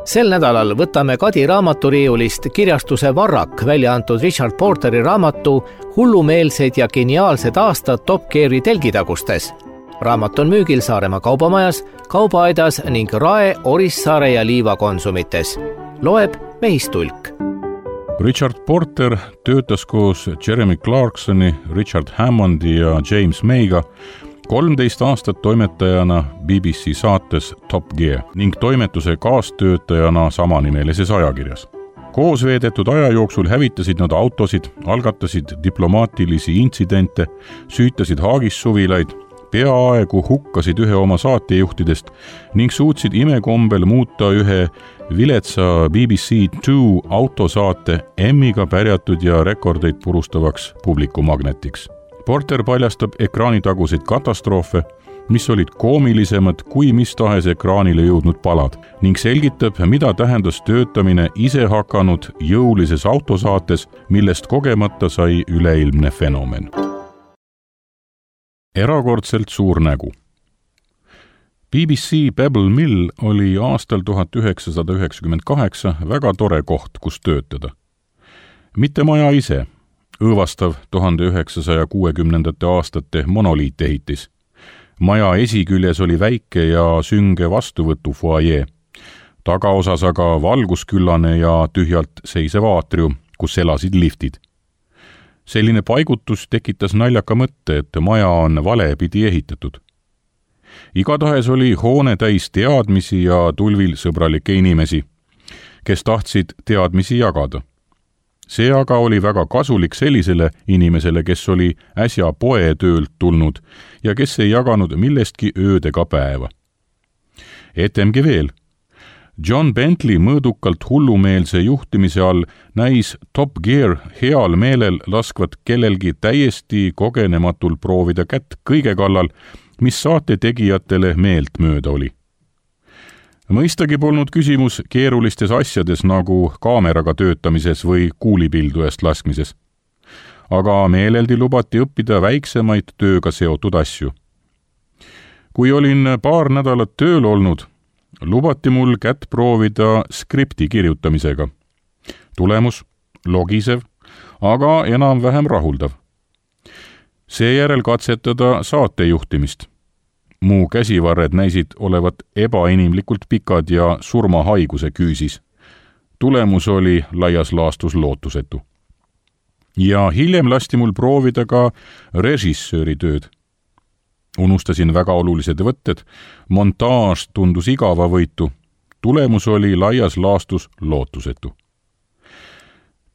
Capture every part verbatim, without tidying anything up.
Sel nädalal võtame Kadi raamaturiiulist kirjastuse Varrak välja antud Richard Porteri raamatu Hullumeelsed ja geniaalsed aastad Top Geari telgitagustes. Raamat on müügil Saaremaa kaubamajas, kaubaaedas ning Rae, Orissaare ja Liiva konsumites. Loeb Mehistulk. Richard Porter töötas koos Jeremy Clarksoni, Richard Hammondi ja James Mayga kolmteist aastat toimetajana B B C saates Top Gear ning toimetuse kaastöötajana samanimelises ajakirjas. Koos veedetud aja jooksul hävitasid nad autosid, algatasid diplomaatilisi intsidente, süütasid haagissuvilaid, peaaegu hukkasid ühe oma saatejuhtidest ning suutsid imekombel muuta ühe viletsa B B C two autosaate Emmiga pärjatud ja rekordeid purustavaks publikumagnetiks. Porter paljastab ekraanitaguseid katastroofe, mis olid koomilisemad kui mis tahes ekraanile jõudnud palad ning selgitab, mida tähendas töötamine ise hakanud jõulises autosaates, millest kogemata sai üleilmne fenomen. Erakordselt suur nägu. B B C Pebble Mill oli aastal tuhat üheksasada üheksakümmend kaheksa väga tore koht, kus töötada. Mitte maja ise, õõvastav tuhande üheksasaja kuuekümnendate aastate monoliitehitis. Maja esiküljes oli väike ja sünge vastuvõtu foajee. Tagaosas aga valgusküllane ja tühjalt seisev aatrium, kus elasid liftid. Selline paigutus tekitas naljaka mõtte, et maja on valepidi ehitatud. Igatahes oli hoone täis teadmisi ja tulvil sõbralikke inimesi, kes tahtsid teadmisi jagada. See aga oli väga kasulik sellisele inimesele, kes oli äsja poetöölt tulnud ja kes ei jaganud millestki öödega päeva. Etemgi veel. John Bentley mõõdukalt hullumeelse juhtimise all näis Top Gear heal meelel laskvat kellelgi täiesti kogenematul proovida kätt kõige kallal, mis saate tegijatele meelt mööda oli. Mõistagi polnud küsimus keerulistes asjades nagu kaameraga töötamises või kuulipildujast laskmises. Aga meeleldi lubati õppida väiksemaid tööga seotud asju. Kui olin paar nädalat tööl olnud, lubati mul kätt proovida skripti kirjutamisega. Tulemus logisev, aga enam-vähem rahuldav. Seejärel katsetada saatejuhtimist. Mu käsivarred näisid olevat ebainimlikult pikad ja surmahaiguse küüsis. Tulemus oli laias laastus lootusetu. Ja hiljem lasti mul proovida ka režissööri tööd. Unustasin väga olulised võtted, montaaž tundus igava võitu. Tulemus oli laias laastus lootusetu.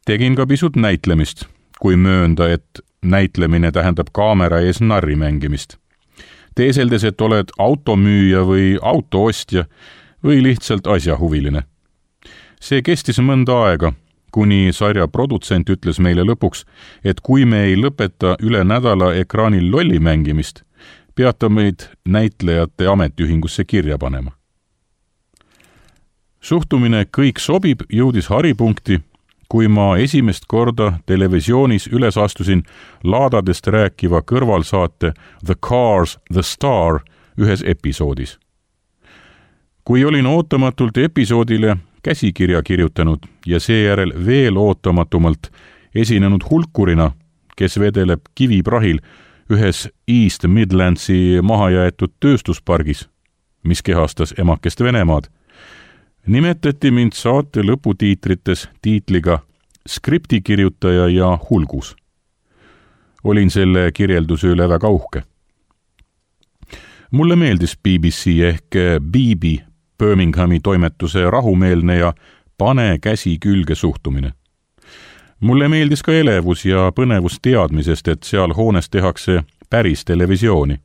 Tegin ka pisut näitlemist, kui möönda, et näitlemine tähendab kaamera ees narri mängimist. Teeseldes, et oled automüüja või autoostja või lihtsalt asjahuviline. See kestis mõnda aega, kuni sarja produtsent ütles meile lõpuks, et kui me ei lõpeta üle nädala ekraanil lolli mängimist, peata meid näitlejate ametiühingusse kirja panema. Suhtumine kõik sobib jõudis haripunkti, kui ma esimest korda televisioonis üles astusin laadadest rääkiva kõrvalsaate The Cars, The Star ühes episoodis. Kui olin ootamatult episoodile käsikirja kirjutanud ja seejärel veel ootamatumal esinenud hulkurina, kes vedeleb kiviprahil ühes East Midlandsi mahajäetud tööstuspargis, mis kehastas emakest Venemaad, nimetati mind saate lõputiitrites tiitliga skriptikirjutaja ja hulgus. Olin selle kirjelduse üle väga uhke. Mulle meeldis B B C ehk B B Birminghami toimetuse rahumeelne ja pane käsi külge suhtumine. Mulle meeldis ka elevus ja põnevus teadmisest, et seal hoones tehakse päris televisiooni.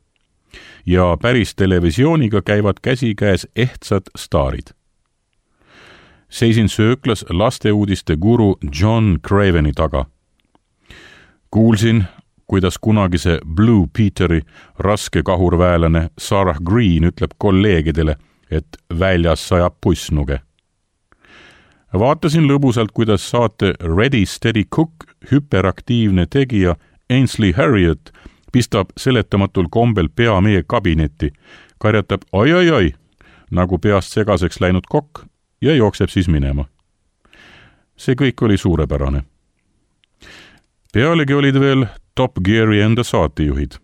Ja päris televisiooniga käivad käsikäes ehtsad staarid. Seisin sööklas lasteuudiste guru John Craveni taga. Kuulsin, kuidas kunagise Blue Peteri raske kahurväelane Sarah Green ütleb kolleegidele, et väljas sajab pussnuge. Vaatasin lõbusalt, kuidas saate Ready Steady Cook hüperaktiivne tegija Ainsley Harriott pistab seletamatul kombel pea meie kabinetti, karjatab oi-oi-oi, nagu peast segaseks läinud kokk ja jookseb siis minema. See kõik oli suurepärane. Pealegi olid veel Top Geari enda saatejuhid.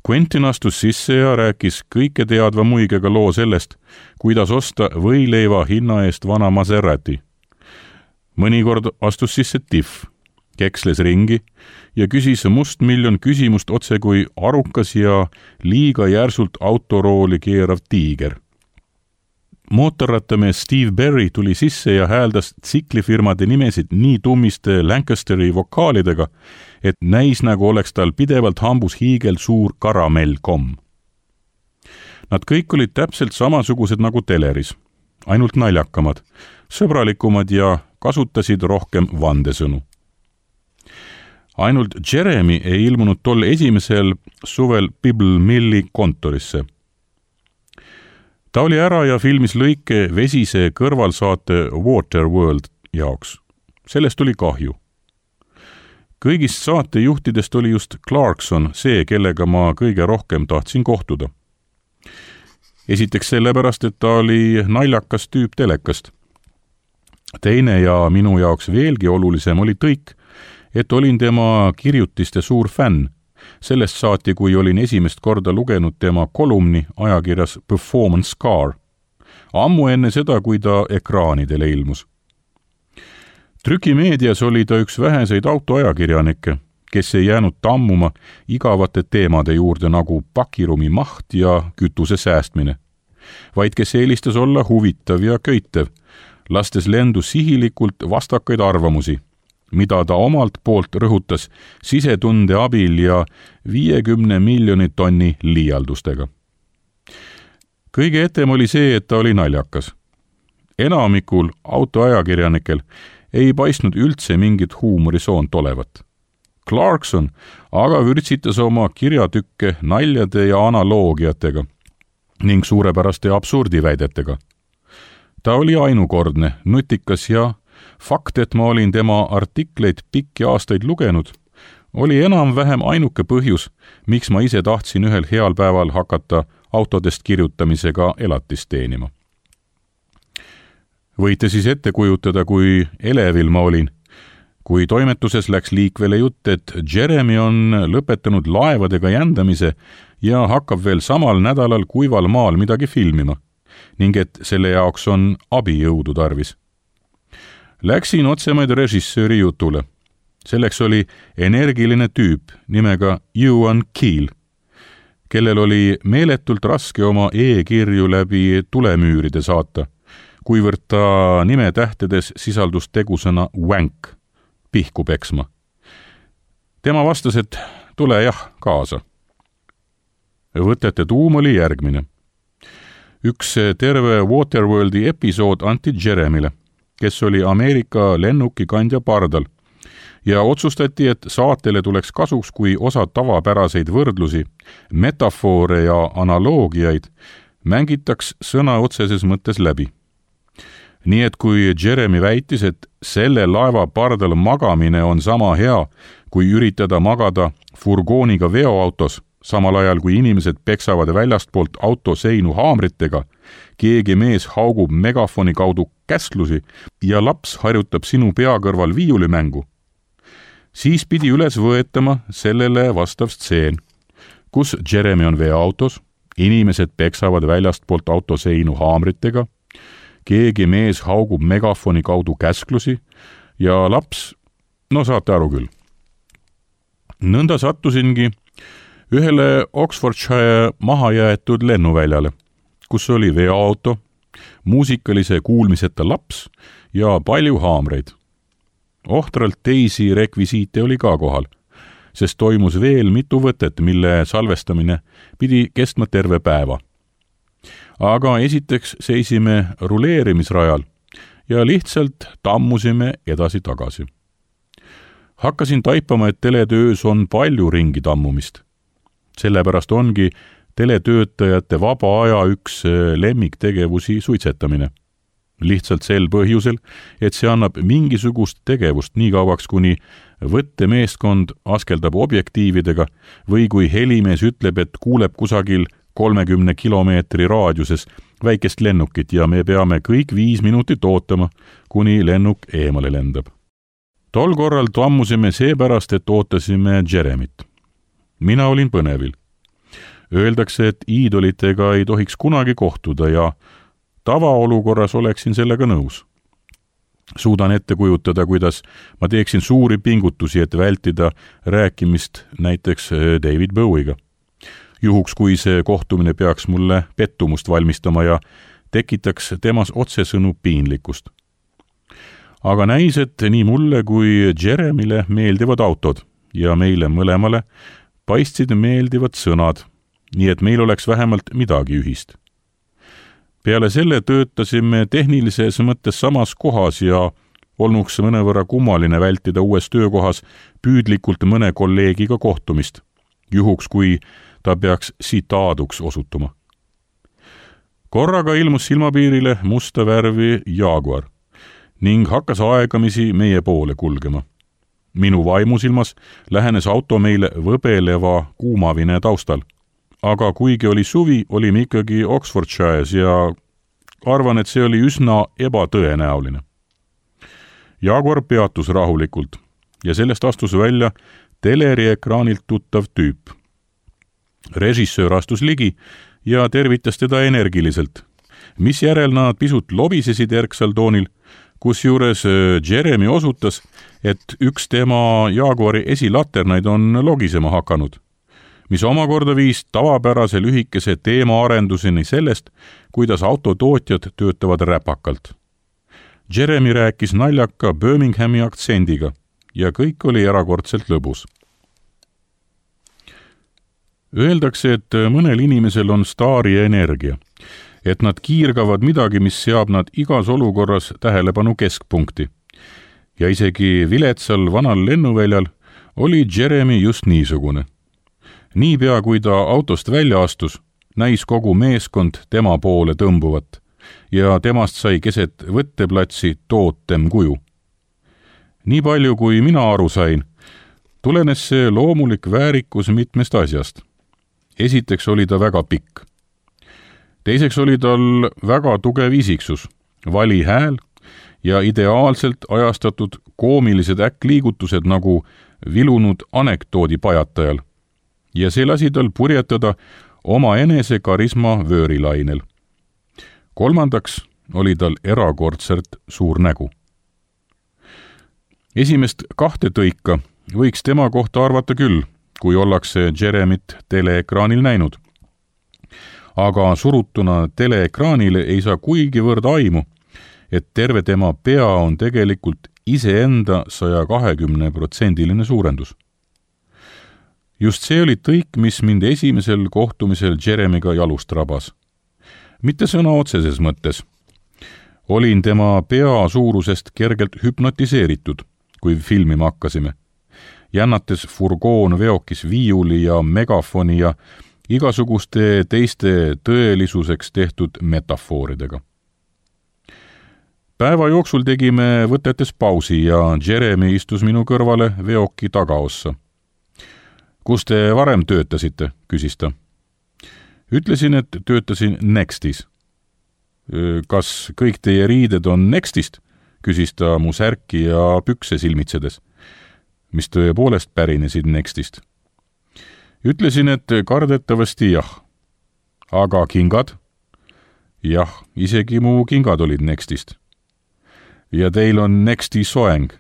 Quentin astus sisse ja rääkis kõike teadva muigega loo sellest, kuidas osta võileiva hinna eest vana Maserati. Mõnikord astus sisse Tiff, keksles ringi ja küsis mustmiljon küsimust otse kui arukas ja liiga järsult autorooli keerav tiiger. Mootorrattamees Steve Berry tuli sisse ja hääldas tsiklifirmade nimesid nii tummiste Lancasteri vokaalidega, et näis nagu oleks tal pidevalt hambus hiigel suur karamellkomm. Nad kõik olid täpselt samasugused nagu teleris, ainult naljakamad, sõbralikumad ja kasutasid rohkem vandesõnu. Ainult Jeremy ei ilmunud tol esimesel suvel Pebble Milli kontorisse. Ta oli ära ja filmis lõike vesise kõrvalsaate Waterworld jaoks. Sellest oli kahju. Kõigist saatejuhtidest oli just Clarkson see, kellega ma kõige rohkem tahtsin kohtuda. Esiteks sellepärast, et ta oli naljakas tüüp telekast. Teine ja minu jaoks veelgi olulisem oli tõik, et olin tema kirjutiste suur fänn. Sellest saati, kui olin esimest korda lugenud tema kolumni ajakirjas Performance Car. Ammu enne seda, kui ta ekraanidele ilmus. Trükimeedias oli ta üks väheseid autoajakirjanikke, kes ei jäänud tammuma igavate teemade juurde nagu pakirumi maht ja kütuse säästmine, vaid kes eelistas olla huvitav ja köitev, lastes lendu sihilikult vastakaid arvamusi, mida ta omalt poolt rõhutas sisetunde abil ja viiekümne miljoni tonni liialdustega. Kõige etem oli see, et ta oli naljakas. Enamikul autoajakirjanikel ei paistnud üldse mingit huumorisoont olevat. Clarkson aga vürtsitas oma kirjatükke naljade ja analoogiatega ning suurepäraste absurdiväidetega. Ta oli ainukordne, nutikas ja fakt, et ma olin tema artikleid pikki aastaid lugenud, oli enam-vähem ainuke põhjus, miks ma ise tahtsin ühel heal päeval hakata autodest kirjutamisega elatist teenima. Võite siis ette kujutada, kui elevil ma olin, kui toimetuses läks liikvele jutt, et Jeremy on lõpetanud laevadega jändamise ja hakkab veel samal nädalal kuival maal midagi filmima, ning et selle jaoks on abijõudu tarvis. Läksin otsemaid režissööri jutule. Selleks oli energiline tüüp nimega Ewan Keel, kellel oli meeletult raske oma e-kirju läbi tulemüüride saata, kuivõrd ta nimetähtedes sisaldus tegusõna wank, pihku peksma. Tema vastas, et tule jah kaasa. Võtete tuum oli järgmine. Üks terve Waterworldi episood anti Jeremyle, kes oli Ameerika lennukikandja pardal, ja otsustati, et saatele tuleks kasuks, kui osa tavapäraseid võrdlusi, metafoore ja analoogiaid mängitaks sõna otseses mõttes läbi. Nii et kui Jeremy väitis, et selle laeva pardal magamine on sama hea, kui üritada magada furgooniga veoautos, samal ajal kui inimesed peksavad väljastpoolt auto seinu haamritega, keegi mees haugub megafoni kaudu käsklusi ja laps harjutab sinu pea kõrval viiulimängu, siis pidi üles võetama sellele vastav stseen, kus Jeremy on veoautos, inimesed peksavad väljastpoolt auto seinu haamritega, keegi mees haugub megafoni kaudu käsklusi ja laps, no saate aru küll. Nõnda sattusingi ühele Oxfordshire mahajäetud lennuväljale, kus oli veoauto, muusikalise kuulmiseta laps ja palju haamreid. Ohtralt teisi rekvisiite oli ka kohal, sest toimus veel mitu võtet, mille salvestamine pidi kestma terve päeva. Aga esiteks seisime ruleerimisrajal ja lihtsalt tammusime edasi-tagasi. Hakkasin taipama, et teletöös on palju ringi tammumist. Sellepärast ongi teletöötajate vaba aja üks lemmiktegevusi suitsetamine. Lihtsalt sel põhjusel, et see annab mingisugust tegevust nii kauaks, kuni võttemeeskond askeldab objektiividega või kui helimees ütleb, et kuuleb kusagil kolmekümne kilomeetri raadiuses väikest lennukit ja me peame kõik viis minutit ootama, kuni lennuk eemale lendab. Tol korral tammusime seepärast, et ootasime Jeremit. Mina olin põnevil. Öeldakse, et iidolitega ei tohiks kunagi kohtuda ja tavaolukorras oleksin sellega nõus. Suudan ette kujutada, kuidas ma teeksin suuri pingutusi, et vältida rääkimist näiteks David Bowie'ga. Juhuks, kui see kohtumine peaks mulle pettumust valmistama ja tekitaks temas otsesõnu piinlikkust. Aga näis, et nii mulle kui Jeremile meeldivad autod ja meile mõlemale paistsid meeldivad sõnad, nii et meil oleks vähemalt midagi ühist. Peale selle töötasime tehnilises mõttes samas kohas ja olnuks mõnevõrra kummaline vältida uues töökohas püüdlikult mõne kolleegiga kohtumist, juhuks kui ta peaks sitaaduks osutuma. Korraga ilmus silmapiirile musta värvi Jaguar ning hakkas aegamisi meie poole kulgema. Minu vaimusilmas lähenes auto meile võbeleva kuumavine taustal. Aga kuigi oli suvi, olime ikkagi Oxfordshire's ja arvan, et see oli üsna ebatõenäoline. Jaguar peatus rahulikult ja sellest astus välja teleri ekraanilt tuttav tüüp. Režissöör astus ligi ja tervitas teda energiliselt, mis järel nad pisut lobisesid erksal toonil, kus juures Jeremy osutas, et üks tema Jaguari esilaternaid on logisema hakanud, mis omakorda viis tavapärase lühikese teemaarenduseni sellest, kuidas autotootjad töötavad räpakalt. Jeremy rääkis naljaka Birminghami aktsendiga ja kõik oli erakordselt lõbus. Öeldakse, et mõnel inimesel on staari energia, et nad kiirgavad midagi, mis seab nad igas olukorras tähelepanu keskpunkti. Ja isegi viletsal vanal lennuväljal oli Jeremy just niisugune. Niipea kui ta autost välja astus, näis kogu meeskond tema poole tõmbuvat ja temast sai keset võtteplatsi tootem kuju. Nii palju kui mina aru sain, tulenes see loomulik väärikus mitmest asjast. Esiteks oli ta väga pikk. Teiseks oli tal väga tugev isiksus, vali hääl ja ideaalselt ajastatud koomilised äkkliigutused nagu vilunud anekdoodi pajatajal. Ja see lasi tal purjetada oma enese karisma vöörilainel. Kolmandaks oli tal erakordselt suur nägu. Esimest kahte tõika võiks tema kohta arvata küll, kui ollakse Jeremit teleekraanil näinud. Aga surutuna teleekraanile ei saa kuigivõrd aimu, et terve tema pea on tegelikult iseenda saja kahekümne protsendiline suurendus. Just see oli tõik, mis mind esimesel kohtumisel Jeremiga jalust rabas. Mitte sõna otseses mõttes. Olin tema pea suurusest kergelt hüpnotiseeritud, kui filmima hakkasime. Jännates furgoon veokis viiuli ja megafoni ja igasuguste teiste tõelisuseks tehtud metafooridega. Päeva jooksul tegime võtetes pausi ja Jeremy istus minu kõrvale veoki tagaossa. Kus te varem töötasite, küsis ta. Ütlesin, et töötasin Nextis. Kas kõik teie riided on Nextist, küsis ta mu särki ja pükse silmitsedes, mis tõepoolest pärinesid Nextist. Ütlesin, et kardetavasti jah. Aga kingad? Jah, isegi mu kingad olid Nextist. Ja teil on Nexti soeng.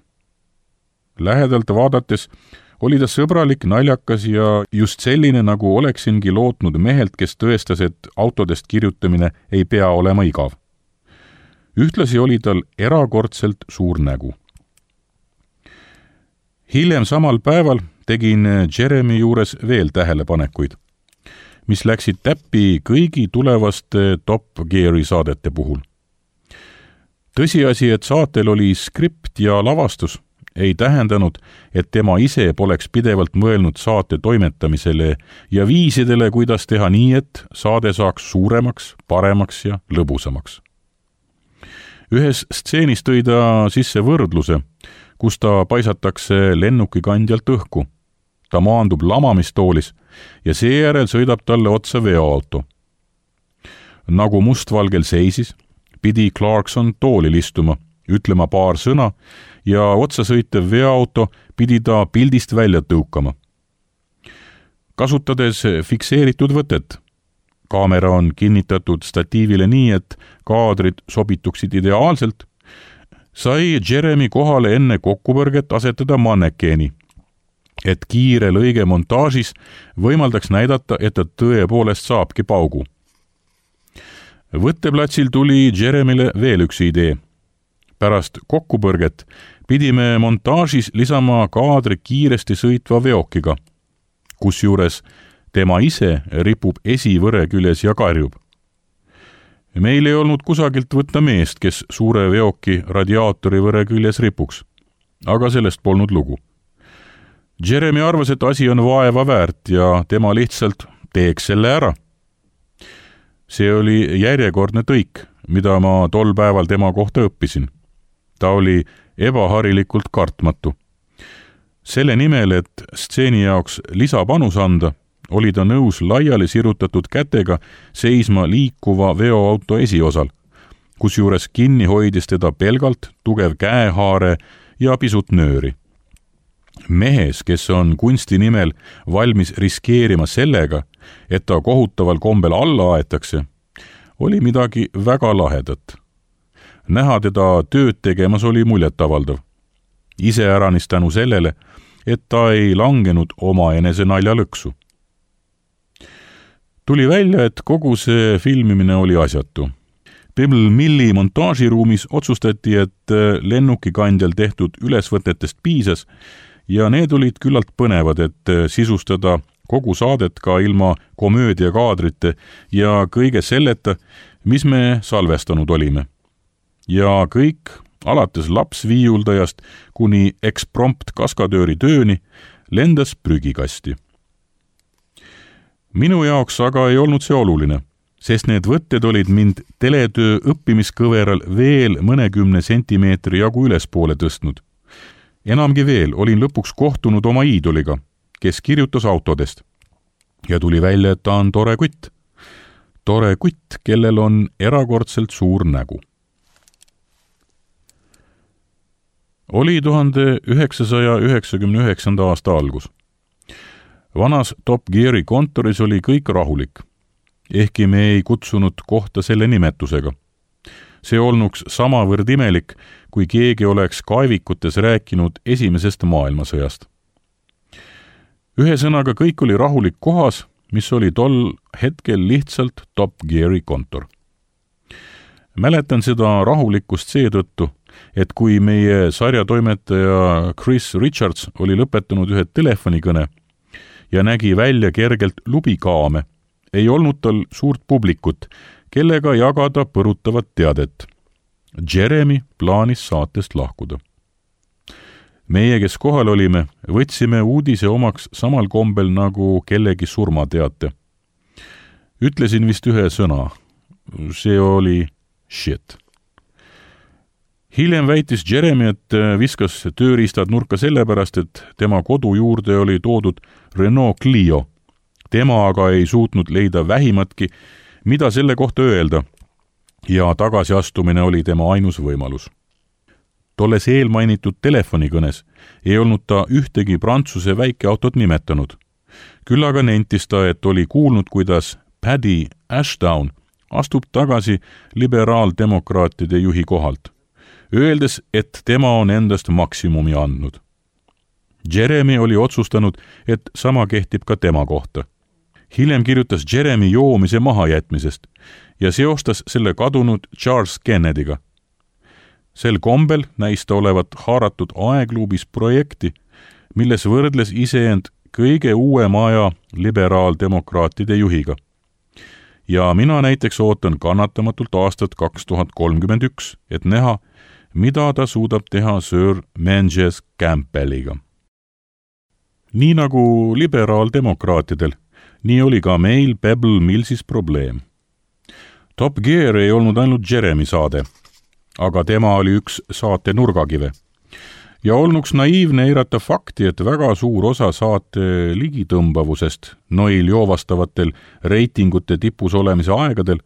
Lähedalt vaadates oli ta sõbralik, naljakas ja just selline, nagu oleksingi lootnud mehelt, kes tõestas, et autodest kirjutamine ei pea olema igav. Ühtlasi oli tal erakordselt suur nägu. Hiljem samal päeval tegin Jeremy juures veel tähelepanekuid, mis läksid täppi kõigi tulevaste Top Geari saadete puhul. Tõsiasi, et saatel oli skript ja lavastus, ei tähendanud, et tema ise poleks pidevalt mõelnud saate toimetamisele ja viisidele, kuidas teha nii, et saade saaks suuremaks, paremaks ja lõbusamaks. Ühes stseenis tõi ta sisse võrdluse, kus ta paisatakse lennukikandjalt õhku. Ta maandub lamamistoolis ja seejärel sõidab talle otsa veoauto. nagu mustvalgel seisis, pidi Clarkson toolil istuma, ütlema paar sõna ja otsasõitev veoauto pidi ta pildist välja tõukama. Kasutades fikseeritud võtet, kaamera on kinnitatud statiivile nii, et kaadrid sobituksid ideaalselt, sai Jeremy kohale enne kokkupõrget asetada mannekeeni, et kiire lõige montaažis võimaldaks näidata, et ta tõepoolest saabki paugu. Võtteplatsil tuli Jeremyle veel üks idee. Pärast kokkupõrget pidime montaažis lisama kaadri kiiresti sõitva veokiga, kusjuures tema ise ripub esivõre küljes ja karjub. Meil ei olnud kusagilt võtta meest, kes suure veoki radiaatori võre küljes ripuks, aga sellest polnud lugu. Jeremy arvas, et asi on vaeva väärt ja tema lihtsalt teeks selle ära. See oli järjekordne tõik, mida ma tol päeval tema kohta õppisin. Ta oli ebaharilikult kartmatu. Selle nimel, et stseeni jaoks lisapanus anda, oli ta nõus laiali sirutatud kätega seisma liikuva veoauto esiosal, kusjuures kinni hoidis teda pelgalt tugev käehaare ja pisut nööri. Mehes, kes on kunsti nimel valmis riskeerima sellega, et ta kohutaval kombel alla aetakse, oli midagi väga lahedat. Näha teda tööd tegemas oli muljetavaldav. Iseäranis tänu sellele, et ta ei langenud oma enese naljalõksu. Tuli välja, et kogu see filmimine oli asjatu. Pebble Milli montaažiruumis otsustati, et lennukikandjal tehtud ülesvõtetest piisas ja need olid küllalt põnevad, et sisustada kogu saadet ka ilma komöödiakaadrite ja kõige selleta, mis me salvestanud olime. Ja kõik, alates lapsviiuldajast kuni eksprompt kaskadööri tööni, lendas prügikasti. Minu jaoks aga ei olnud see oluline, sest need võtted olid mind teletöö õppimiskõveral veel mõnekümne sentimeetri jagu ülespoole tõstnud. Enamgi veel olin lõpuks kohtunud oma iidoliga, kes kirjutas autodest. Ja tuli välja, et ta on tore kutt. Tore kutt, kellel on erakordselt suur nägu. Oli tuhande üheksasaja üheksakümne üheksanda aasta algus. Vanas Top Geari kontoris oli kõik rahulik, ehkki me ei kutsunud kohta selle nimetusega. See olnuks samavõrd imelik, kui keegi oleks kaevikutes rääkinud esimesest maailmasõjast. Ühesõnaga kõik oli rahulik kohas, mis oli tol hetkel lihtsalt Top Geari kontor. Mäletan seda rahulikkust seetõttu, et kui meie sarjatoimetaja Chris Richards oli lõpetanud ühe telefonikõne ja nägi välja kergelt lubikaame, ei olnud tal suurt publikut, kellega jagada põrutavat teadet. Jeremy plaanis saatest lahkuda. Meie, kes kohal olime, võtsime uudise omaks samal kombel nagu kellegi surmateate. Ütlesin vist ühe sõna. See oli shit. Hiljem väitis Jeremy, et viskas tööriistad nurka sellepärast, et tema kodu juurde oli toodud Renault Clio. Tema aga ei suutnud leida vähimatki, mida selle kohta öelda, ja tagasiastumine oli tema ainus võimalus. Tolles eelmainitud telefonikõnes ei olnud ta ühtegi Prantsuse väikeautot nimetanud. Küll aga nentis ta, et oli kuulnud, kuidas Paddy Ashdown astub tagasi liberaaldemokraatide juhi kohalt, öeldes, et tema on endast maksimumi andnud. Jeremy oli otsustanud, et sama kehtib ka tema kohta. Hiljem kirjutas Jeremy joomise mahajätmisest ja seostas selle kadunud Charles Kennedyga. Sel kombel näis ta olevat haaratud aegluubis projekti, milles võrdles iseend kõige uuema aja liberaaldemokraatide juhiga. Ja mina näiteks ootan kannatamatult aastat kaks tuhat kolmkümmend üks, et näha, mida ta suudab teha Sir Menzies Campbelliga. Nii nagu liberaaldemokraatidel, nii oli ka meil Pebble Millsis probleem. Top Gear ei olnud ainult Jeremy saade, aga tema oli üks saate nurgakive. Ja olnuks naiivne eirata fakti, et väga suur osa saate ligitõmbavusest noil joovastavatel reitingute tipus olemise aegadel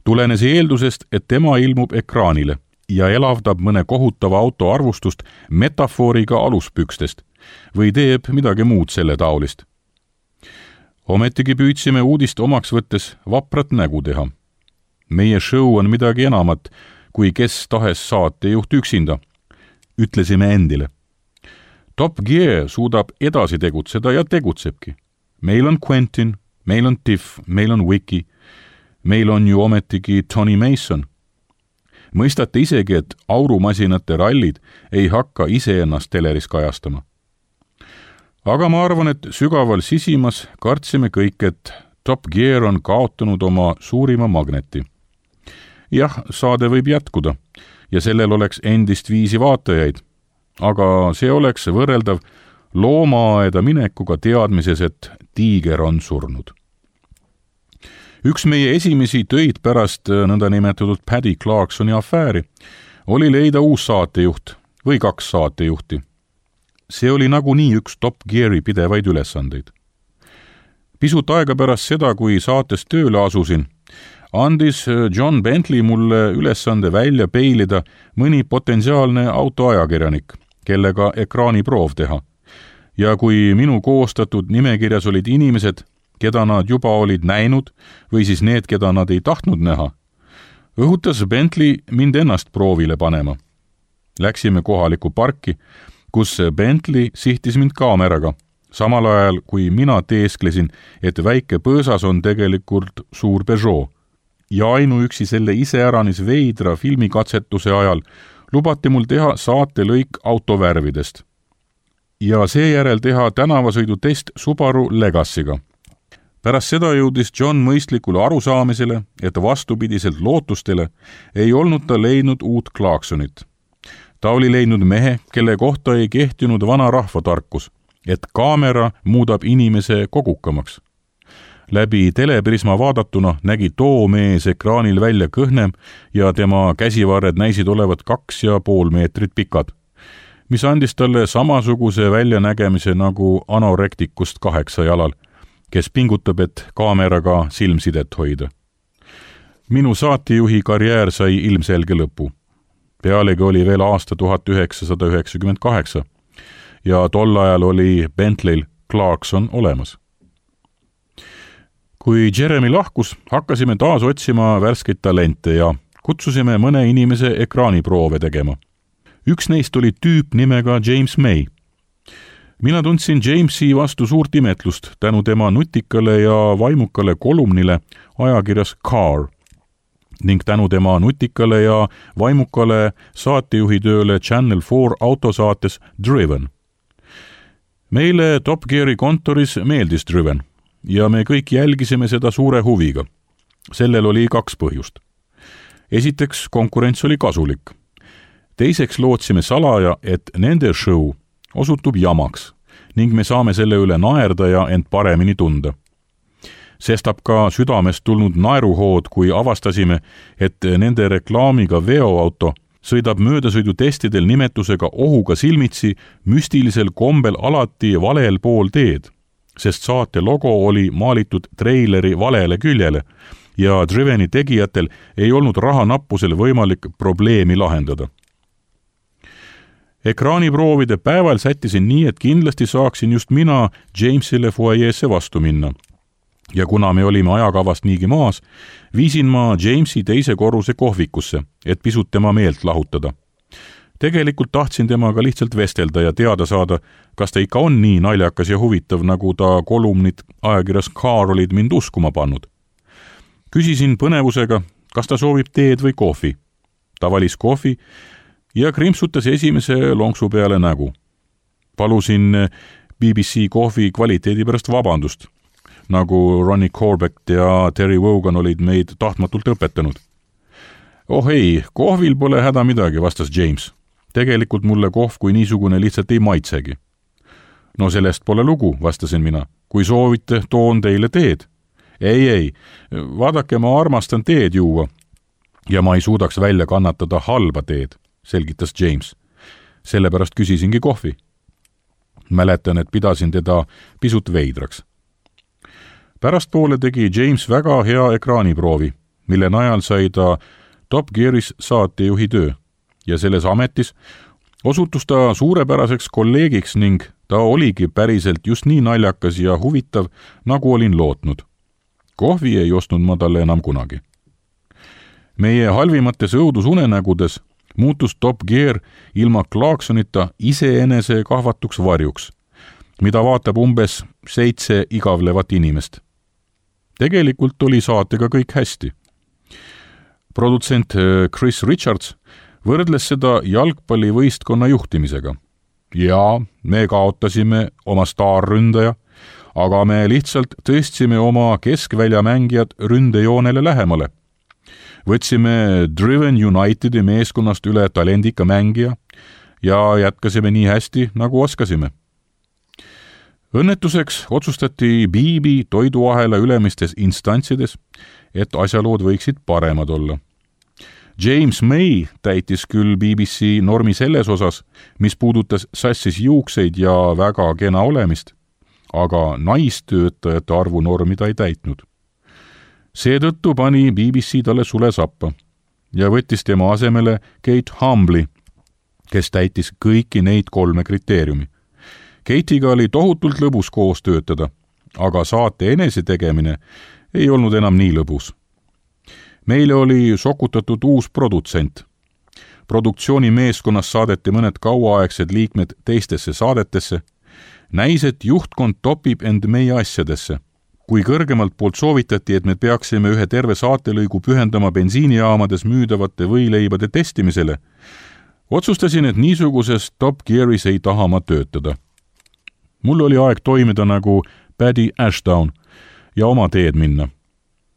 tulenes eeldusest, et tema ilmub ekraanile ja elavdab mõne kohutava auto arvustust metafooriga aluspükstest või teeb midagi muud selle taolist. Ometigi püüdsime uudist omaks võttes vaprat nägu teha. Meie show on midagi enamat, kui kes tahes saatejuht üksinda, ütlesime endile. Top Gear suudab edasi tegutseda ja tegutsebki. Meil on Quentin, meil on Tiff, meil on Wiki, meil on ju ometigi Tony Mason. Mõistate isegi, et aurumasinate rallid ei hakka iseennast teleris kajastama. Aga ma arvan, et sügaval sisimas kartsime kõik, et Top Gear on kaotanud oma suurima magneti. Jah, saade võib jätkuda ja sellel oleks endist viisi vaatajaid, aga see oleks võrreldav loomaaeda minekuga teadmises, et tiiger on surnud. Üks meie esimesi töid pärast nõndanimetatud Paddy Clarksoni afääri oli leida uus saatejuht või kaks saatejuhti. See oli nagunii üks Top Geari pidevaid ülesandeid. Pisut aega pärast seda, kui saates tööle asusin, andis John Bentley mulle ülesande välja peilida mõni potentsiaalne autoajakirjanik, kellega ekraaniproov teha. Ja kui minu koostatud nimekirjas olid inimesed, keda nad juba olid näinud või siis need, keda nad ei tahtnud näha, õhutas Bentley mind ennast proovile panema. Läksime kohalikku parki, kus Bentley sihtis mind kaameraga, samal ajal kui mina teesklesin, et väike põõsas on tegelikult suur Peugeot. Ja ainuüksi selle iseäranis veidra filmikatsetuse ajal lubati mul teha saatelõik autovärvidest. Ja seejärel teha tänavasõidutest Subaru Legacyga. Pärast seda jõudis John mõistlikule arusaamisele, et vastupidiselt lootustele ei olnud ta leidnud uut Clarksonit. Ta oli leidnud mehe, kelle kohta ei kehtinud vana rahvatarkus, et kaamera muudab inimese kogukamaks. Läbi teleprisma vaadatuna nägi too mees ekraanil välja kõhnem ja tema käsivarred näisid olevat kaks ja pool meetrit pikad, mis andis talle samasuguse väljanägemise nagu anorektikust kaheksa jalal, kes pingutab, et kaameraga silmsidet hoida. Minu saatejuhi karjäär sai ilmselge lõpu. Pealegi oli veel aasta tuhat üheksasada üheksakümmend kaheksa ja tol ajal oli Bentley'l Clarkson olemas. Kui Jeremy lahkus, hakkasime taas otsima värskeid talente ja kutsusime mõne inimese ekraaniproove tegema. Üks neist oli tüüp nimega James May. Mina tundsin Jamesi vastu suurt imetlust tänu tema nutikale ja vaimukale kolumnile ajakirjas Car ning tänu tema nutikale ja vaimukale saatejuhitööle Channel four autosaates Driven. Meile Top Geari kontoris meeldis Driven ja me kõik jälgisime seda suure huviga. Sellel oli kaks põhjust. Esiteks, konkurents oli kasulik. Teiseks lootsime salaja, et nende show osutub jamaks ning me saame selle üle naerda ja end paremini tunda. Sestap ka südamest tulnud naeruhood, kui avastasime, et nende reklaamiga veoauto sõidab möödasõidutestidel nimetusega ohuga silmitsi müstilisel kombel alati valel pool teed, sest saate logo oli maalitud treileri valele küljele ja Driveni tegijatel ei olnud rahanappusel võimalik probleemi lahendada. Ekraaniproovide päeval sättisin nii, et kindlasti saaksin just mina Jamesile foajeesse vastu minna. Ja kuna me olime ajakavast niigi maas, viisin ma Jamesi teise korruse kohvikusse, et pisut tema meelt lahutada. Tegelikult tahtsin temaga lihtsalt vestelda ja teada saada, kas ta ikka on nii naljakas ja huvitav, nagu ta kolumnid ajakirjas Car olid mind uskuma pannud. Küsisin põnevusega, kas ta soovib teed või kohvi. Ta valis kohvi ja krimpsutas esimese lonksu peale nägu. Palusin B B C kohvi kvaliteedi pärast vabandust, nagu Ronnie Corbett ja Terry Wogan olid meid tahtmatult õpetanud. Oh ei, kohvil pole häda midagi, vastas James. Tegelikult mulle kohv kui niisugune lihtsalt ei maitsegi. No sellest pole lugu, vastasin mina. Kui soovite, toon teile teed. Ei, ei, vaadake, ma armastan teed juua ja ma ei suudaks välja kannatada halba teed, selgitas James. Sellepärast küsisingi kohvi. Mäletan, et pidasin teda pisut veidraks. Pärastpoole tegi James väga hea ekraaniproovi mille najal sai ta Top Gearis saatejuhi töö ja selles ametis osutus ta suurepäraseks kolleegiks ning ta oligi päriselt just nii naljakas ja huvitav, nagu olin lootnud. Kohvi ei ostnud ma talle enam kunagi. Meie halvimates õudusunenägudes muutus Top Gear ilma Clarksonita iseenese kahvatuks varjuks, mida vaatab umbes seitse igavlevat inimest. Tegelikult oli saatega kõik hästi. Produtsent Chris Richards võrdles seda jalgpallivõistkonna juhtimisega. Ja me kaotasime oma staarründaja, aga me lihtsalt tõstsime oma keskväljamängijad ründejoonele lähemale. Võtsime Driven Unitedi meeskonnast üle talendika mängija ja jätkasime nii hästi, nagu oskasime. Õnnetuseks otsustati B B toiduahela ülemistes instantsides, et asjalood võiksid paremad olla. James May täitis küll B B C normi selles osas, mis puudutas sassis juukseid ja väga kena olemist, aga naistöötajate arvu normi ta ei täitnud. Seetõttu pani B B C talle sule sappa ja võttis tema asemele Kate Humbley, kes täitis kõiki neid kolme kriteeriumi. Kate'iga oli tohutult lõbus koos töötada, aga saate enese tegemine ei olnud enam nii lõbus. Meile oli sokutatud uus produtsent. Produktsiooni meeskonnas saadeti mõned kauaaegsed liikmed teistesse saadetesse. Näis, et juhtkond topib end meie asjadesse. Kui kõrgemalt poolt soovitati, et me peaksime ühe terve saatelõigu pühendama bensiinijaamades müüdavate võileibade testimisele, otsustasin, et niisuguses Top Gearis ei taha ma töötada. Mul oli aeg toimida nagu Paddy Ashdown ja oma teed minna.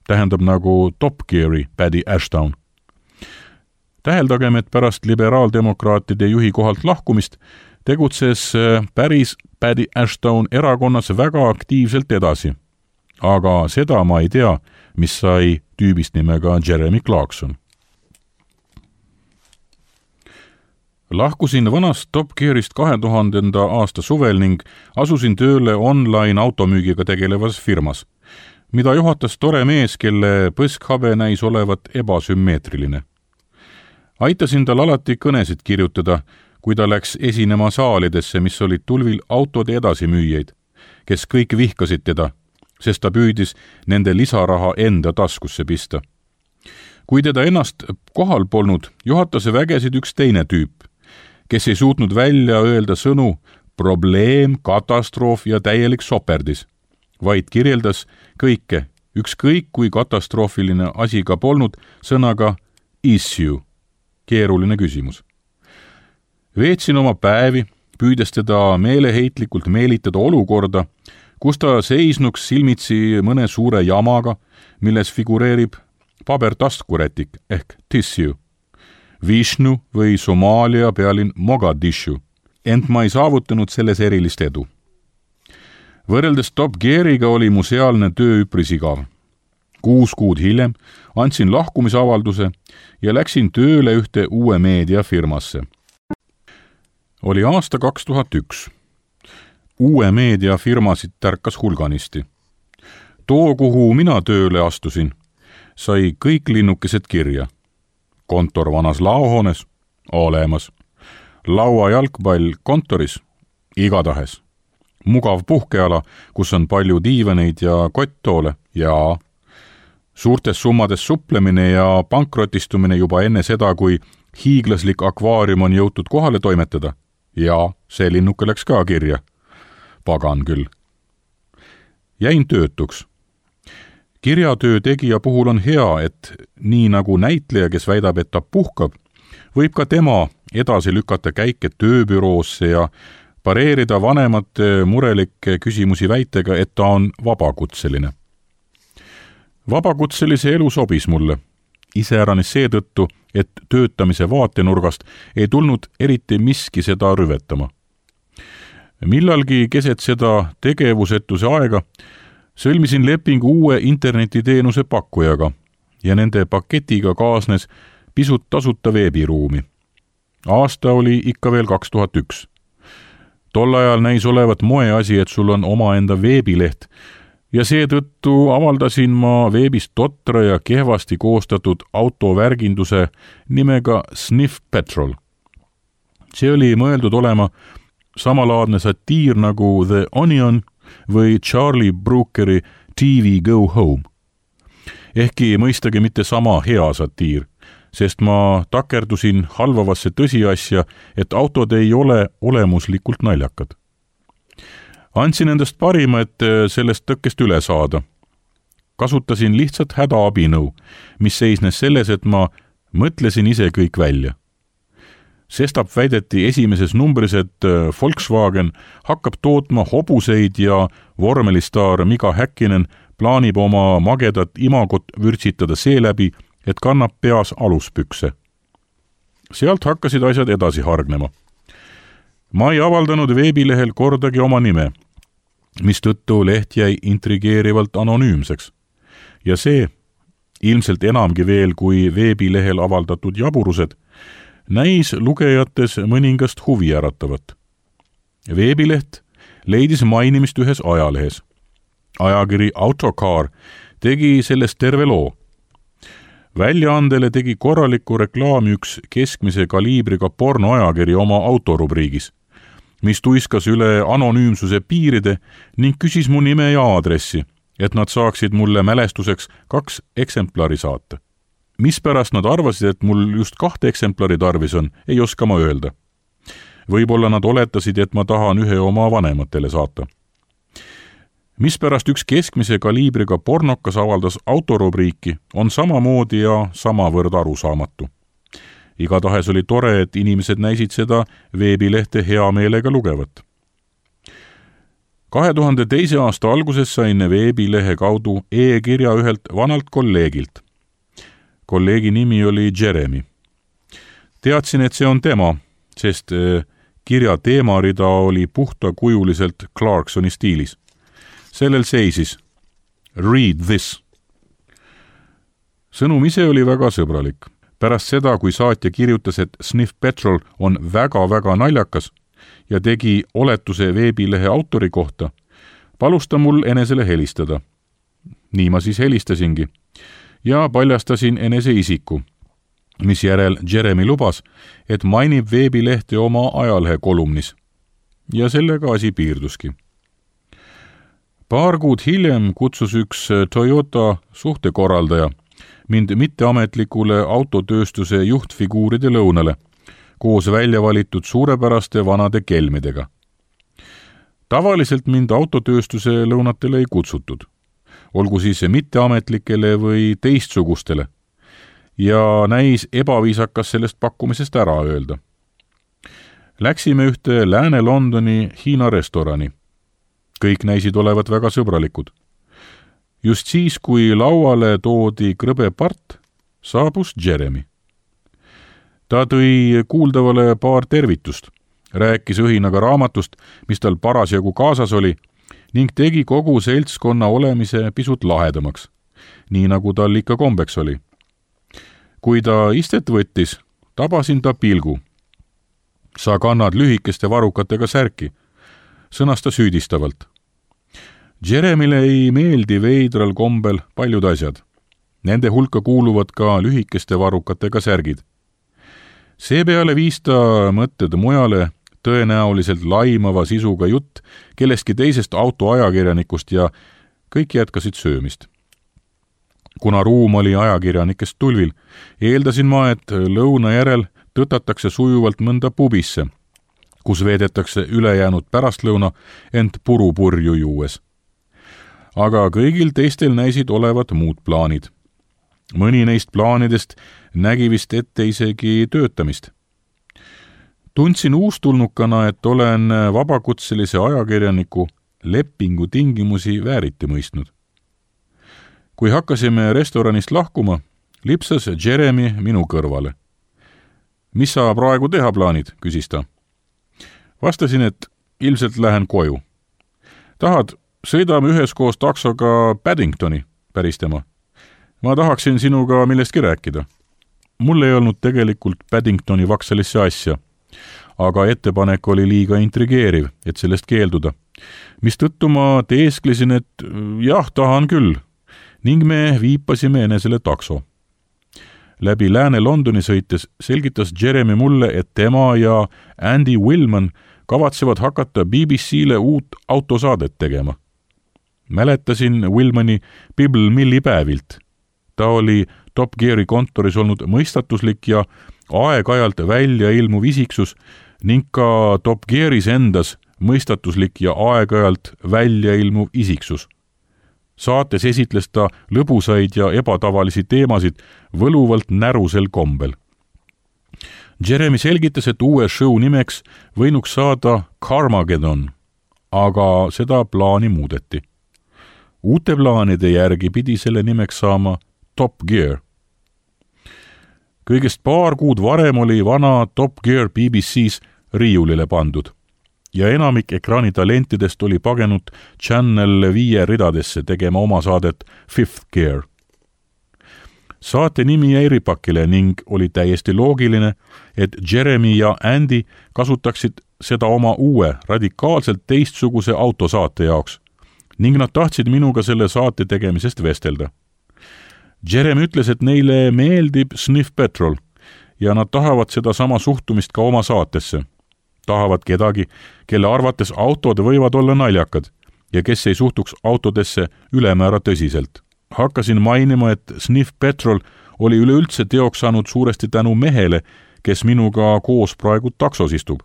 Tähendab nagu Top Geari Paddy Ashdown. Täheldagem, et pärast liberaaldemokraatide juhi kohalt lahkumist tegutses päris Paddy Ashdown erakonnas väga aktiivselt edasi. Aga seda ma ei tea, mis sai tüübist nimega Jeremy Clarkson. Lahkusin vanast Top Gearist kahe tuhandenda aasta suvel ning asusin tööle online automüügiga tegelevas firmas, mida juhatas tore mees, kelle põskhabe näis olevat ebasümmeetriline. Aitasin tal alati kõnesid kirjutada, kui ta läks esinema saalidesse, mis olid tulvil autode edasimüüjaid, kes kõik vihkasid teda, sest ta püüdis nende lisaraha enda taskusse pista. Kui teda ennast kohal polnud, juhatas vägesid üks teine tüüp, kes ei suutnud välja öelda sõnu probleem, katastroof ja täielik soperdis, vaid kirjeldas kõike, ükskõik kui katastroofiline asi ka polnud, sõnaga issue, keeruline küsimus. Veetsin oma päevi, püüdes teda meeleheitlikult meelitada olukorda, kus ta seisnuks silmitsi mõne suure jamaga, milles figureerib pabertaskurätik ehk tissue, Vishnu või Somaalia pealinn Mogadishu, ent ma ei saavutanud selles erilist edu. Võrreldes Top Geariga oli mu sealne töö üpris igav. Kuus kuud hiljem andsin lahkumisavalduse ja läksin tööle ühte uue meediafirmasse. Oli aasta kaks tuhat üks. Uue meediafirmasid tärkas hulganisti. Too, kuhu mina tööle astusin, sai kõik linnukesed kirja. Kontor vanas laohoones, olemas. Laua jalgpall kontoris, igatahes. Mugav puhkeala, kus on palju diivaneid ja kotttoole ja suurtes summades suplemine ja pankrotistumine juba enne seda, kui hiiglaslik akvaarium on jõutud kohale toimetada. Ja see linnuke läks ka kirja. Pagan küll. Jäin töötuks. Kirjatöö tegija puhul on hea, et nii nagu näitleja, kes väidab, et ta puhkab, võib ka tema edasi lükata käike tööbüroosse ja pareerida vanemate murelikke küsimusi väitega, et ta on vabakutseline. Vabakutselise elu sobis mulle, iseäranis seetõttu, et töötamise vaatenurgast ei tulnud eriti miski seda rüvetama. Millalgi keset seda tegevusetuse aega sõlmisin lepingu uue internetiteenuse pakkujaga ja nende paketiga kaasnes pisut tasuta veebiruumi. Aasta oli ikka veel kaks tuhat üks. Tol ajal näis olevat moeasi, et sul on omaenda veebileht ja seetõttu avaldasin ma veebis totra ja kehvasti koostatud autovärginduse nimega Sniff Petrol. See oli mõeldud olema samalaadne satiir nagu The Onion või Charlie Brookeri T V Go Home. Ehkki mõistagi mitte sama hea satiir, sest ma takerdusin halvavasse tõsiasja, et autod ei ole olemuslikult naljakad. Andsin endast parima, et sellest tõkkest üle saada. Kasutasin lihtsalt hädaabinõu, mis seisnes selles, et ma mõtlesin ise kõik välja. Sestap väideti esimeses numbris, et Volkswagen hakkab tootma hobuseid ja vormelistaar Mika Häkkinen plaanib oma magedat imagot vürtsitada seeläbi, et kannab peas aluspükse. Sealt hakkasid asjad edasi hargnema. Ma ei avaldanud veebilehel kordagi oma nime, mistõttu leht jäi intrigeerivalt anonüümseks. Ja see, ilmselt enamgi veel kui veebilehel avaldatud jaburused, näis lugejates mõningast huvi äratavat. Veebileht leidis mainimist ühes ajalehes. Ajakiri Autocar tegi sellest terve loo. Väljaandele tegi korraliku reklaami üks keskmise kaliibriga pornoajakiri oma autorubriigis, mis tuiskas üle anonüümsuse piiride ning küsis mu nime ja aadressi, et nad saaksid mulle mälestuseks kaks eksemplari saata. Mispärast nad arvasid, et mul just kahte eksemplari tarvis on, ei oska ma öelda. Võib-olla nad oletasid, et ma tahan ühe oma vanematele saata. Mispärast üks keskmise kaliibriga pornokas avaldas autorubriiki, on samamoodi ja samavõrd arusaamatu. Igatahes oli tore, et inimesed näisid seda veebilehte hea meelega lugevat. kahe tuhande teise aasta alguses sain veebilehe kaudu e-kirja ühelt vanalt kolleegilt. Kolleegi nimi oli Jeremy. Teadsin, et see on tema, sest kirja teemarida oli puhtakujuliselt Clarksoni stiilis. Sellel seisis Read this. Sõnum ise oli väga sõbralik. Pärast seda, kui saatja kirjutas, et Sniff Petrol on väga-väga naljakas ja tegi oletuse veebilehe autori kohta, palus ta mul enesele helistada. Nii ma siis helistasingi ja paljastasin enese isiku, mis järel Jeremy lubas, et mainib veebilehte oma ajalehe kolumnis. Ja sellega asi piirduski. Paar kuud hiljem kutsus üks Toyota suhtekorraldaja mind mitteametlikule autotööstuse juhtfiguuride lõunale, koos välja valitud suurepäraste vanade kelmidega. Tavaliselt mind autotööstuse lõunatele ei kutsutud, olgu siis mitteametlikele või teistsugustele, ja näis ebaviisakas sellest pakkumisest ära öelda. Läksime ühte Lääne-Londoni Hiina restorani. Kõik näisid olevat väga sõbralikud. Just siis, kui lauale toodi krõbe part, saabus Jeremy. Ta tõi kuuldavale paar tervitust, rääkis õhinaga raamatust, mis tal parasjagu kaasas oli, ning tegi kogu seltskonna olemise pisut lahedamaks, nii nagu tal ikka kombeks oli. Kui ta istet võttis, tabasin ta pilgu. Sa kannad lühikeste varukatega särki, sõnas ta süüdistavalt. Jeremyle ei meeldi veidral kombel paljud asjad. Nende hulka kuuluvad ka lühikeste varukatega särgid. Seepeale viis ta mõtted mujale, tõenäoliselt laimava sisuga jutt kellestki teisest autoajakirjanikust ja kõik jätkasid söömist. Kuna ruum oli ajakirjanikest tulvil, eeldasin ma, et lõuna järel tõtatakse sujuvalt mõnda pubisse, kus veedetakse ülejäänud pärastlõuna ent purupurju juues. Aga kõigil teistel näisid olevat muud plaanid. Mõni neist plaanidest nägi vist ette isegi töötamist. Tundsin uustulnukana, et olen vabakutselise ajakirjaniku lepingu tingimusi vääriti mõistnud. Kui hakkasime restoranist lahkuma, lipsas Jeremy minu kõrvale. Mis sa praegu teha plaanid, küsis ta. Vastasin, et ilmselt lähen koju. Tahad, sõidame üheskoos taksoga Paddingtoni, päris tema. Ma tahaksin sinuga millestki rääkida. Mul ei olnud tegelikult Paddingtoni vaksalisse asja, aga ettepanek oli liiga intrigeeriv, et sellest keelduda. Mistõttu ma teesklesin, et jah, tahan küll, ning me viipasime enesele takso. Läbi Lääne-Londoni sõites selgitas Jeremy mulle, et tema ja Andy Willman kavatsevad hakata B B C-le uut autosaadet tegema. Mäletasin Willmani Pebble Milli päevilt. Ta oli Top Geari kontoris olnud mõistatuslik ja aeg-ajalt välja ilmuv isiksus ning ka Top Gearis endas mõistatuslik ja aeg-ajalt välja ilmuv isiksus. Saates esitles ta lõbusaid ja ebatavalisi teemasid võluvalt närusel kombel. Jeremy selgitas, et uue show nimeks võinuks saada Carmageddon, aga seda plaani muudeti. Uute plaanide järgi pidi selle nimeks saama Top Gear. Kõigest paar kuud varem oli vana Top Gear B B C-s riiulile pandud ja enamik ekraanitalentidest oli pagenud Channel viie ridadesse tegema oma saadet Fifth Gear. Saate nimi jäi ripakile ning oli täiesti loogiline, et Jeremy ja Andy kasutaksid seda oma uue, radikaalselt teistsuguse autosaate jaoks ning nad tahtsid minuga selle saate tegemisest vestelda. Jeremy ütles, et neile meeldib Sniff Petrol ja nad tahavad seda sama suhtumist ka oma saatesse. Tahavad kedagi, kelle arvates autod võivad olla naljakad ja kes ei suhtuks autodesse ülemäära tõsiselt. Hakkasin mainima, et Sniff Petrol oli üleüldse teoks saanud suuresti tänu mehele, kes minuga koos praegu taksos istub,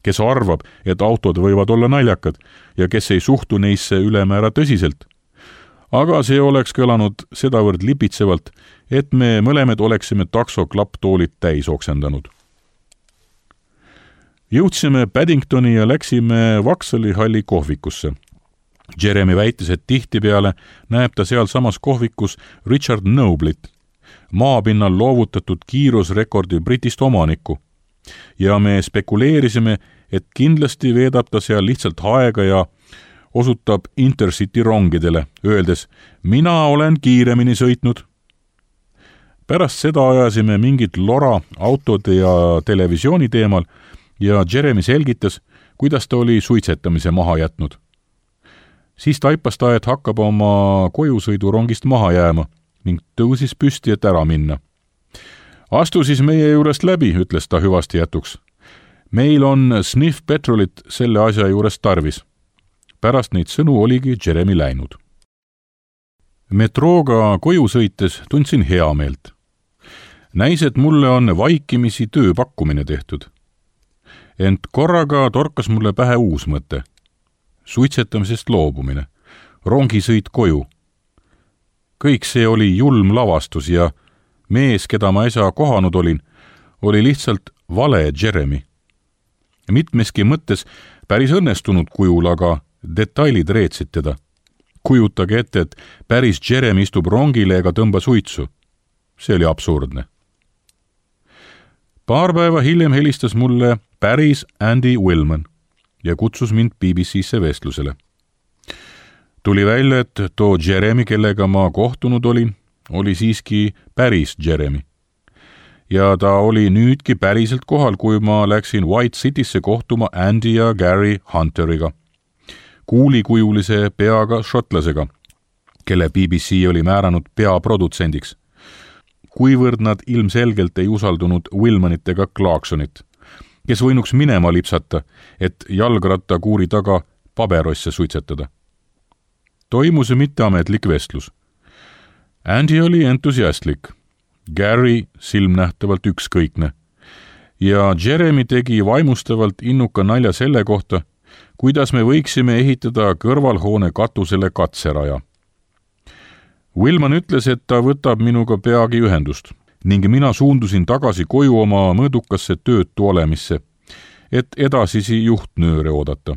kes arvab, et autod võivad olla naljakad ja kes ei suhtu neisse ülemäära tõsiselt. Aga see oleks kõlanud sedavõrd lipitsevalt, et me mõlemed oleksime takso klapptoolid täis oksendanud. Jõudsime Paddingtoni ja läksime Vaksali halli kohvikusse. Jeremy väitis, et tihtipeale näeb ta seal samas kohvikus Richard Noblit, maapinnal loovutatud kiirusrekordi Britist omanikku. Ja me spekuleerisime, et kindlasti veedab ta seal lihtsalt aega ja osutab Intercity rongidele, öeldes, mina olen kiiremini sõitnud. Pärast seda ajasime mingit lora autode ja televisiooni teemal ja Jeremy selgitas, kuidas ta oli suitsetamise maha jätnud. Siis taipas ta, et hakkab oma kojusõidurongist maha jääma ning tõusis püsti, et ära minna. Astu siis meie juurest läbi, ütles ta hüvasti jätuks. Meil on Sniff Petrolit selle asja juures tarvis. Pärast neid sõnu oligi Jeremy läinud. Metrooga koju sõites tundsin heameelt. Näis, et mulle on vaikimisi tööpakkumine tehtud. Ent korraga torkas mulle pähe uus mõte. Suitsetamisest loobumine, rongisõit koju. Kõik see oli julm lavastus ja mees, keda ma äsja kohanud olin, oli lihtsalt vale Jeremy. Mitmeski mõttes päris õnnestunud kujul, aga detailid reetsid teda. Kujutage ette, et päris Jeremy istub rongile ega tõmba suitsu. See oli absurdne. Paar päeva hiljem helistas mulle päris Andy Willman ja kutsus mind B B C-sse vestlusele. Tuli välja, et too Jeremy, kellega ma kohtunud olin, oli siiski päris Jeremy. Ja ta oli nüüdki päriselt kohal, kui ma läksin White Citysse kohtuma Andy ja Gary Hunteriga, kuulikujulise peaga šotlasega, kelle B B C oli määranud peaprodutsendiks, kuivõrd nad ilmselgelt ei usaldunud Willmanit ega Clarksonit, kes võinuks minema lipsata, et jalgratta kuuri taga paberosse suitsetada. Toimus mitteametlik vestlus. Andy oli entusiastlik, Gary silmnähtavalt ükskõikne ja Jeremy tegi vaimustavalt innuka nalja selle kohta, kuidas me võiksime ehitada kõrvalhoone katusele katseraja. Willman ütles, et ta võtab minuga peagi ühendust ning mina suundusin tagasi koju oma mõõdukasse töötu olemisse, et edasisi juhtnööre oodata.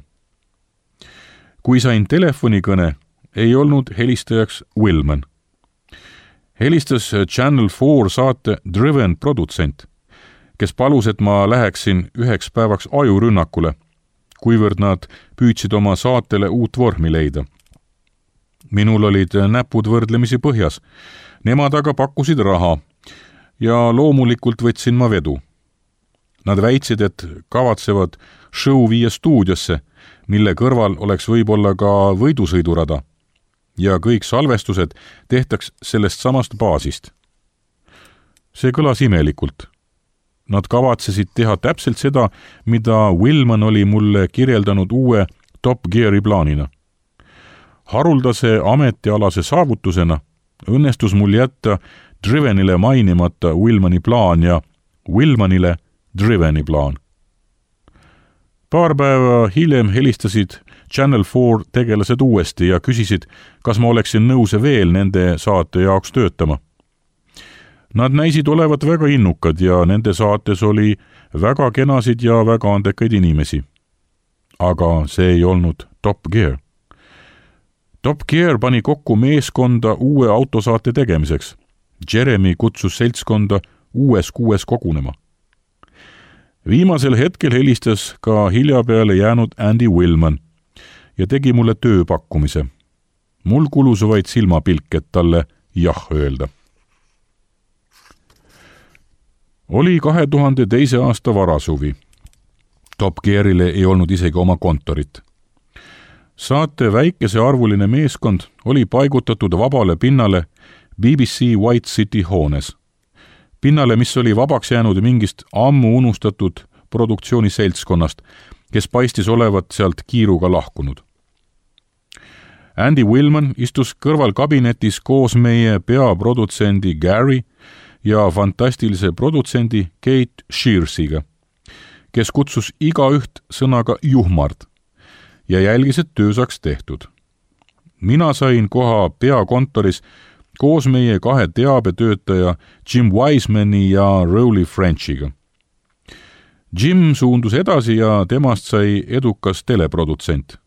Kui sain telefonikõne, ei olnud helistajaks Willman. Helistas Channel four saate Driven produtsent, kes palus, et ma läheksin üheks päevaks ajurünnakule, kuivõrd nad püüdsid oma saatele uut vormi leida. Minul olid näpud võrdlemisi põhjas, nemad aga pakkusid raha ja loomulikult võtsin ma vedu. Nad väitsid, et kavatsevad show viia stuudiosse, mille kõrval oleks võib-olla ka võidusõidurada ja kõik salvestused tehtaks sellest samast baasist. See kõlas imelikult. Nad kavatsesid teha täpselt seda, mida Willman oli mulle kirjeldanud uue Top Geari plaanina. Haruldase ametialase saavutusena õnnestus mul jätta Drivenile mainimata Willmani plaan ja Willmanile Driveni plaan. Paar päeva hiljem helistasid Channel four tegelased uuesti ja küsisid, kas ma oleksin nõus veel nende saate jaoks töötama. Nad näisid olevat väga innukad ja nende saates oli väga kenasid ja väga andekaid inimesi. Aga see ei olnud Top Gear. Top Gear pani kokku meeskonda uue autosaate tegemiseks. Jeremy kutsus seltskonda uues kuues kogunema. Viimasel hetkel helistas ka hiljapeale jäänud Andy Willman ja tegi mulle tööpakkumise. Mul kulus vaid silmapilk, et talle jah öelda. Oli kahe tuhande teise aasta varasuvi. Top Gearile ei olnud isegi oma kontorit. Saate väikese arvuline meeskond oli paigutatud vabale pinnale B B C White City hoones. Pinnale, mis oli vabaks jäänud mingist ammu unustatud produktsiooni seltskonnast, kes paistis olevat sealt kiiruga lahkunud. Andy Willman istus kõrval kabinetis koos meie peaprodutsendi Gary ja fantastilise produtsendi Kate Shearsiga, kes kutsus igaüht sõnaga juhmard ja jälgis, et töö saaks tehtud. Mina sain koha peakontoris koos meie kahe teabetöötaja Jim Wisemani ja Rowley Frenchiga. Jim suundus edasi ja temast sai edukas teleprodutsent.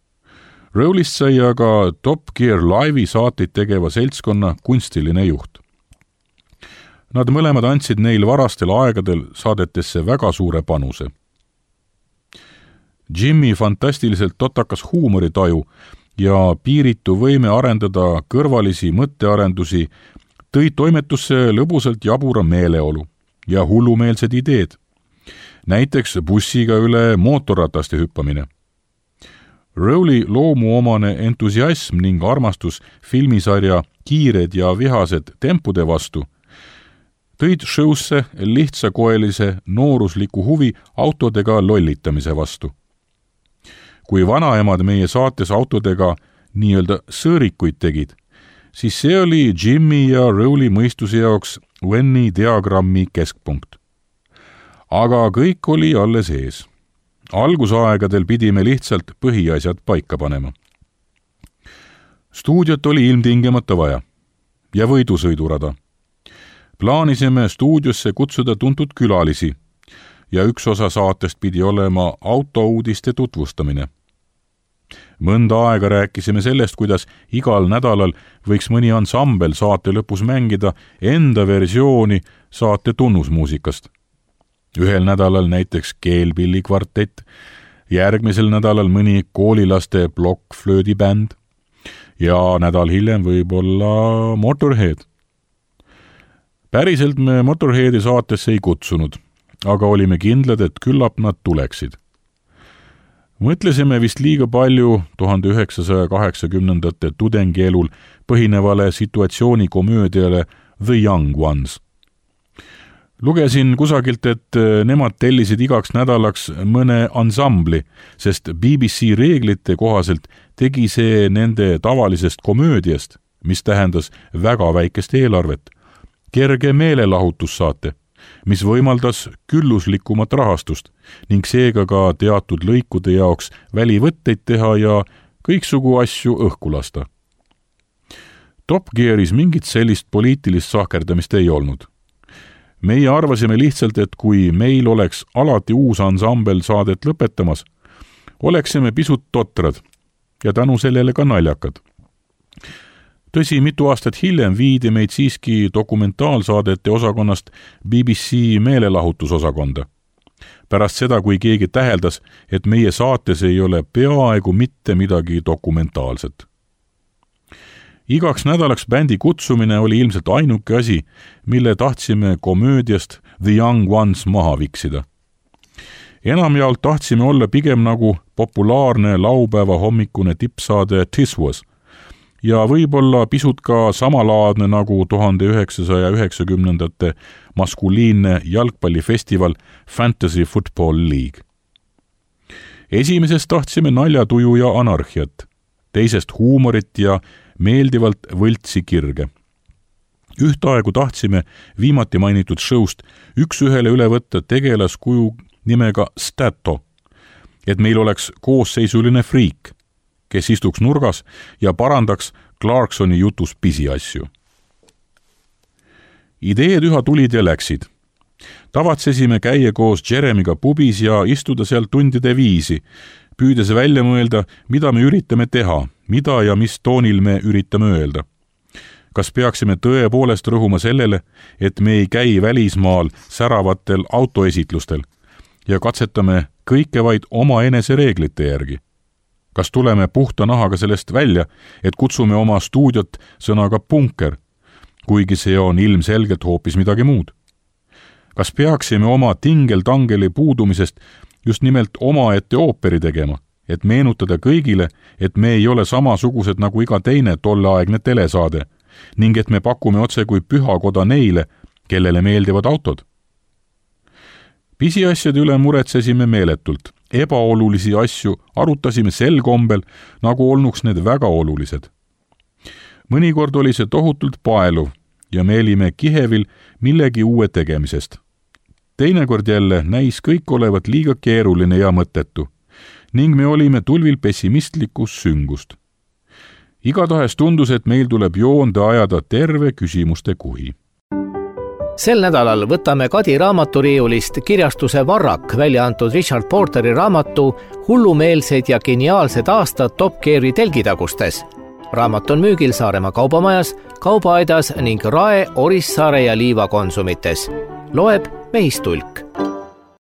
Rowleyst sai aga Top Gear Live'i saateid tegeva seltskonna kunstiline juht. Nad mõlemad andsid neil varastel aegadel saadetesse väga suure panuse. Jimmy fantastiliselt totakas huumoritaju ja piiritu võime arendada kõrvalisi mõttearendusi tõi toimetusse lõbusalt jabura meeleolu ja hullumeelsed ideed. Näiteks bussiga üle mootorrataste hüppamine. Rowley loomuomane entusiasm ning armastus filmisarja Kiired ja vihased tempude vastu tõid showsse lihtsakoelise noorusliku huvi autodega lollitamise vastu. Kui vanaemad meie saates autodega nii-öelda sõõrikuid tegid, siis see oli Jimmy ja Rowley mõistuse jaoks Venni diagrammi keskpunkt. Aga kõik oli alles ees. Algusaegadel pidime lihtsalt põhiasjad paika panema. Stuudiot oli ilmtingemata vaja ja võidusõidurada. Plaanisime stuudiosse kutsuda tuntud külalisi ja üks osa saatest pidi olema autouudiste tutvustamine. Mõnda aega rääkisime sellest, kuidas igal nädalal võiks mõni ansambel saate lõpus mängida enda versiooni saate tunnusmuusikast. Ühel nädalal näiteks keelpilli kvartett, järgmisel nädalal mõni koolilaste blokkflöödibänd ja nädal hiljem võib-olla Motorhead. Päriselt me Motorheadi saatesse ei kutsunud, aga olime kindlad, et küllap nad tuleksid. Mõtlesime vist liiga palju tuhande üheksasaja kaheksakümnendate tudengielul põhinevale situatsioonikomöödiale The Young Ones. Lugesin kusagilt, et nemad tellisid igaks nädalaks mõne ansambli, sest B B C reeglite kohaselt tegi see nende tavalisest komöödiast, mis tähendas väga väikest eelarvet, kerge meelelahutussaate, mis võimaldas külluslikumat rahastust ning seega ka teatud lõikude jaoks välivõtteid teha ja kõiksugu asju õhku lasta. Top Gearis mingit sellist poliitilist sahkerdamist ei olnud. Meie arvasime lihtsalt, et kui meil oleks alati uus ansambel saadet lõpetamas, oleksime pisut totrad ja tänu sellele ka naljakad. Tõsi, mitu aastat hiljem viidi meid siiski dokumentaalsaadete osakonnast B B C meelelahutusosakonda. Pärast seda, kui keegi täheldas, et meie saates ei ole peaaegu mitte midagi dokumentaalset. Igaks nädalaks bändi kutsumine oli ilmselt ainuke asi, mille tahtsime komöödiast The Young Ones maha viksida. enamjaolt tahtsime olla pigem nagu populaarne laupäeva hommikune tippsaade This Was ja võib-olla pisut ka samalaadne nagu tuhande üheksasaja üheksakümnendate maskuliinne jalgpallifestival Fantasy Football League. Esimesest tahtsime naljatuju ja anarhiat, teisest huumorit ja meeldivalt võltsi kirge. Ühtaegu tahtsime viimati mainitud showst üks ühele üle võtta tegelaskuju nimega Stato, et meil oleks koosseisuline friik, kes istuks nurgas ja parandaks Clarksoni jutus pisiasju. Ideed üha tulid ja läksid. Tavatsesime käia koos Jeremiga pubis ja istuda seal tundide viisi, püüdes välja mõelda, mida me üritame teha, mida ja mis toonil me üritame öelda. Kas peaksime tõepoolest rõhuma sellele, et me ei käi välismaal säravatel autoesitlustel ja katsetame kõike vaid oma enese reeglite järgi? Kas tuleme puhta nahaga sellest välja, et kutsume oma stuudiot sõnaga punker, kuigi see on ilmselgelt hoopis midagi muud? Kas peaksime oma tingel-tangeli puudumisest just nimelt omaette ooperi tegema, et meenutada kõigile, et me ei ole samasugused nagu iga teine tolleaegne telesaade ning et me pakume otse kui pühakoda neile, kellele meeldivad autod? Pisiasjade üle muretsesime meeletult, ebaolulisi asju arutasime sel kombel, nagu olnuks need väga olulised. Mõnikord oli see tohutult paeluv ja me olime kihevil millegi uue tegemisest. Teinekord jälle näis kõik olevat liiga keeruline ja mõttetu ning me olime tulvil pessimistlikus süngust. Igatahes tundus, et meil tuleb joonde ajada terve küsimuste kuhi. Sel nädalal võtame Kadi raamaturiiulist kirjastuse Varrak välja antud Richard Porteri raamatu Hullumeelsed ja geniaalsed aastad Top Geari telgitagustes. Raamat on müügil Saaremaa kaubamajas, Kaubaaidas ning Rae, Orissaare ja Liiva konsumites. Loeb Mehistulk.